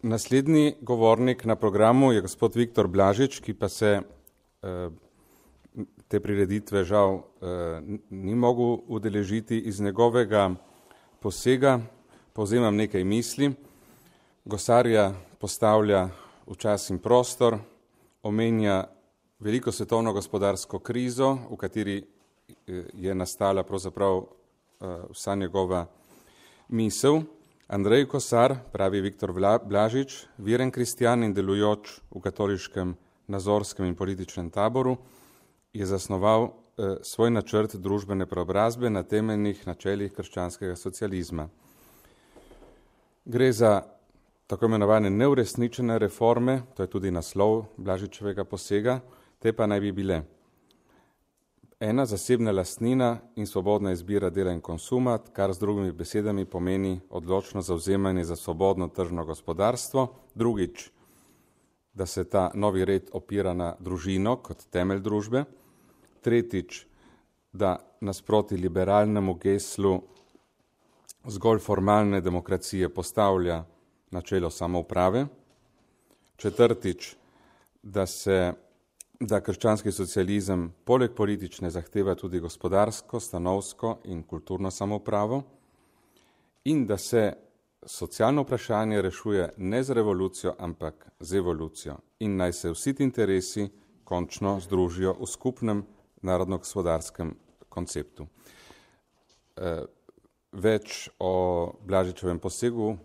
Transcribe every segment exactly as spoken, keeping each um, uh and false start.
Naslednji govornik na programu je gospod Viktor Blažič, ki pa se eh, te prireditve žal eh, ni mogel udeležiti. Iz njegovega posega povzemam nekaj misli. Gosarja postavlja v čas in prostor, omenja veliko svetovno gospodarsko krizo, v kateri je nastala pravzaprav eh, vsa njegova misel. Andrej Kosar, pravi Viktor Blažič, viren kristjan in delujoč v katoliškem nazorskem in političnem taboru, je zasnoval eh, svoj načrt družbene preobrazbe na temeljnih načelih krščanskega socializma. Gre za tako imenovane neuresničene reforme, to je tudi naslov Blažičevega posega, te pa naj bi bile ena zasebna lastnina in svobodna izbira dela in konsuma, kar z drugimi besedami pomeni odločno zavzemanje za svobodno tržno gospodarstvo. Drugič, da se ta novi red opira na družino kot temelj družbe. Tretjič, da nasproti liberalnemu geslu zgolj formalne demokracije postavlja načelo samouprave. Četrtič, da se da krščanski socializem poleg politične zahteva tudi gospodarsko, stanovsko in kulturno samoupravo in da se socialno vprašanje rešuje ne z revolucijo, ampak z evolucijo in naj se vsi ti interesi končno združijo v skupnem narodno-gospodarskem konceptu. Več o Blažičevem posegu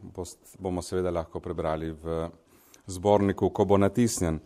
bomo seveda lahko prebrali v zborniku, ko bo natisnjen.